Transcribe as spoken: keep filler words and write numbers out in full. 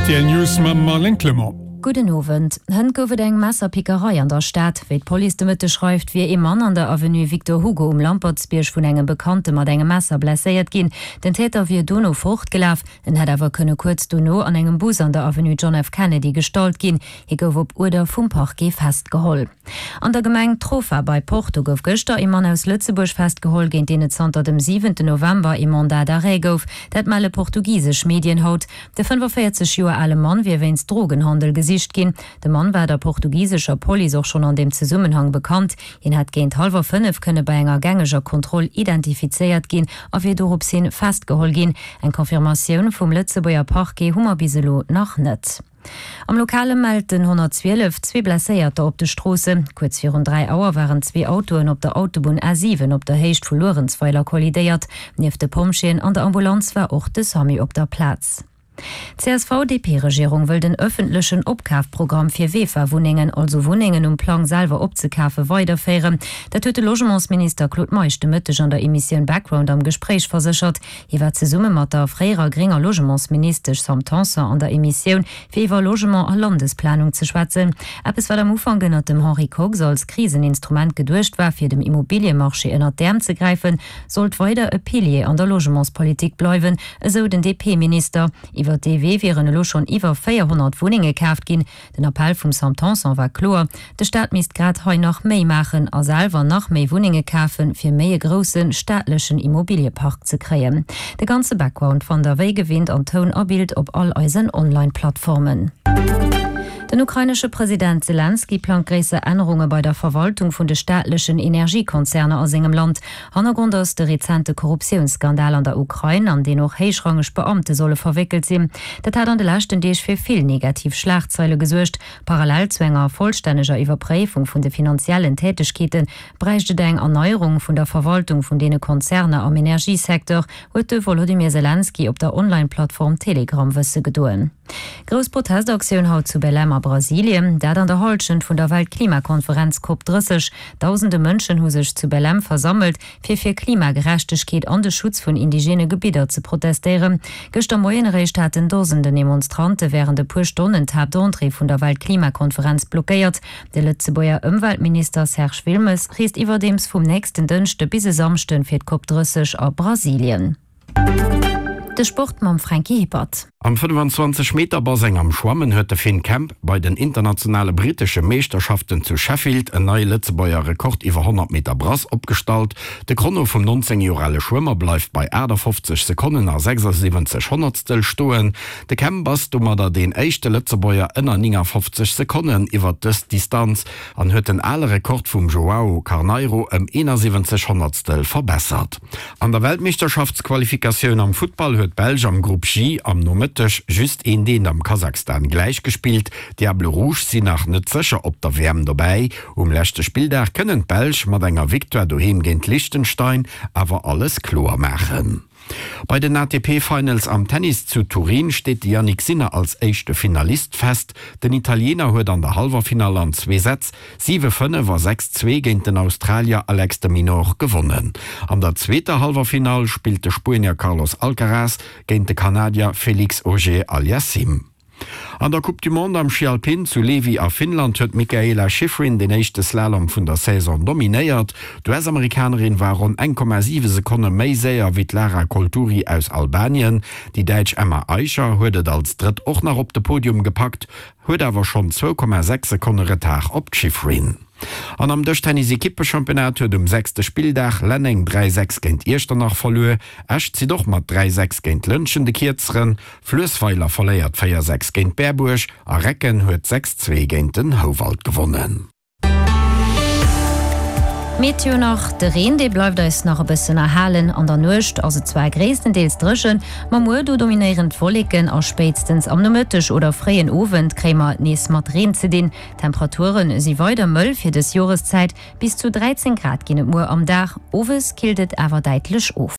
R T L News mam Marlène Clement. Gudden Owend. Hënt gouf et eng Messerpickerei an der Stad. Wéi d'Police de Mëtteg schreift, wier ee Mann an der Avenue Victor Hugo um Lampertsbierg vun engem Bekannte mat engem Messer blesséiert ginn. Den Täter wier dono fortgelaf, en hätt awer kënne kuerz dono an engem Bus an der Avenue John F. Kennedy gestallt ginn. Hie gouf op Uerder vum Parquet festgeholl. An der Gemeng Trofa bei Porto gouf gëschter ee Mann aus Lëtzebuerg festgeholl, géint deen et zanter dem siwenten November ee Mandat d'arrêt gouf. Dat melle portugisesch Medien haut. De fënnefaféierzeg Joer ale Mann wier wéinst Drogenhandel gesicht ginn. De Mann war der portugisescher Police och schonn an deem Zesummenhang bekannt. Hien hätt géint hallwer fënnef kënne bei enger gängeger Kontroll identifizéiert ginn a wier dorops hin festgeholl ginn. Eng Confirmatioun vum Lëtzebuerger Parquet hu mer bis elo nach net. Am Lokale mellt den honnertzwielef zwee Blesséierter op de Stroossen. Kuerz virun dräi Auer waren zwee Autoen op der Autobunn A siwen op der Héicht vu Luerenzweiler kollidéiert. Nieft de Pompjeeën an der Ambulanz war och de Samu op der Plaz. D'C S V D P-Regierung wëll den ëffentlechen Opkafprogramm fir VEFA-Wunnengen, also Wunnengen um Plang selwer opzekafen, weiderféieren. Dat huet de Logementsminister Claude Meisch de Mëtteg an der Emissioun Background am Gespréich verséchert. Hie war zesumme mat der fréierer grénger Logementsministesch Sam Tanson an der Emissioun, fir iwwer Logement a Landesplanung ze schwätzen. Eppes, wat am Ufank ënnert dem Henri Kox als Kriseninstrument geduecht war, fir dem Immobiliemarché ënnert d'Äerm ze gräifen, sollt weider e Pilier an der Logementspolitik bleiwen, esou den D P-Minister. Iwwer dee Wee wieren elo schonn iwwer véierhonnert Wunnenge kaaft ginn. Den Appell vum Sam Tanson war kloer, De Staat misst grad hei nach méi maachen a selwer nach méi Wunnenge kafen, fir méi e grousse staatlechen Immobiliepark ze kréien. De ganze Background fannt der wéi gewinnt an Toun a Bild op all eisen Online-Plattformen. Den ukrainesche President Selenskyj plangt gréisser Ännerunge bei der Verwaltung vun de staatlechen Energiekonzerner a sengem Land. Hannergrond ass de rezente Korruptiounsskandal an der Ukrain, an deen och héichrangeg Beamte solle verwéckelt sinn. Dat hat an de leschten Deeg fir vill negativ Schlagzeile gesuergt. Parallel zu enger vollstänneger Iwwerpréifung vun de finanziellen Tätegkeete bräicht et eng Erneierung vun der Verwaltung vun deene Konzerner am Energiesecteur, huet de Wolodymyr Selenskyj op der Online-Plattform Telegram wësse gedoen. Grouss Protestaktioun haut zu Belém a Brasilien, dat an der Hallschent vun der Weltklimakonferenz Cop drësseg. Dausende Mënschen hu sech zu Belém versammelt, fir fir Klimagerechtegkeet an de Schutz vun indigene Gebidder ze protestéieren. Gëschter Moien eréischt haten Dosenden Demonstrante wärend e puer Stonnen d'Haaptentrée vun der Weltklimakonferenz blockéiert. De Lëtzebuerger Ëmweltminister Serge Wilmes reest iwwerdeems vum nächsten Dënschde bis e Samschde fir d'Cop drësseg a Brasilien. De Sport mam Franky Hippert. Am fënnfanzwanzeg Meter Baseng am Schwammen huet de Finn Kemp bei den internationale brittesche Meeschterschaften zu Sheffield en neie Lëtzebuerger Rekord iwwer honnert Meter Brass opgestallt. De Chrono vum nonzéng Joer ale Schwëmmer bleift bei aachtafofzeg Sekonnen a sechsasiwwenzeg Honnertstel stoen. De Kemp ass domadder deen éischte Lëtzebuerger ënner néngafofzeg Sekonnen iwwer dës Distanz an huet den ale Rekord vum Joao Carneiro ëm eenasiwwenzeg Honnertstel verbessert. An der Weltmeeschterschaftsqualifikatioun am Futtball huet d'Belsch am Grupp J am Nomëtteg just eent eent am Kasachstan gläichgespillt. D'Diables Rouges sinn nach net sécher op der W M dobäi. Um leschte Spilldag kënnen d'Belsch mat enger Victoire doheem géint Liechtenstein awer alles kloer maachen. Bei den A T P Finals am Tennis zu Turin steet de Jannik Sinner als éischte Finalist fest. Den Italiener huet an der Halleffinall an zwee Sätz siwe fënnef a sechs zwee géint den Australier Alex de Minaur gewonnen. An der zweeter Halleffinall spillt de Spuenier Carlos Alcaraz géint de Kanadier Félix Auger-Aliassime. An der Coupe du Monde am Schi Alpin zu Levi a Finnland huet d'Mikaela Shiffrin den éischte Slalom vun der Saison dominéiert. D'U S-Amerikanerin war ronn eng Komma siwe Sekonne méi séier wéi d'Lara Colturi aus Albanien. Déi Däitsch Emma Aicher huet et als Drëtt och nach op de Podium gepackt, huet awer schonn zwou Komma sechs Sekonne Retard op d'Shiffrin. An am Dëschtennis-Ekippechampionnat huet um sechste Spilldag Lenneng dräi sechs géint Iechternach verluer. Esch zitt och mat dräi sechs géint Lëntgen de Kierzeren, Fluessweiler verléiert véier sechs géint Berbuerg a Recken huet sechs zwee géint den Houwald gewonnen. Meteo nach, De Reen dee bleift eis nach e bëssen erhalen. An der Nuecht ass et zwar gréisstendeels dréchen, ma muer do dominéieren d'Wolleken a spéitstens am Nomëtteg oder fréien Owend kréie mer et nees mat Reen ze dinn. D'Temperature si weider mëll fir dës Joreszäit, bis zu dräizéng Grad ginn et muer am Dag, owes killt et awer däitlech of.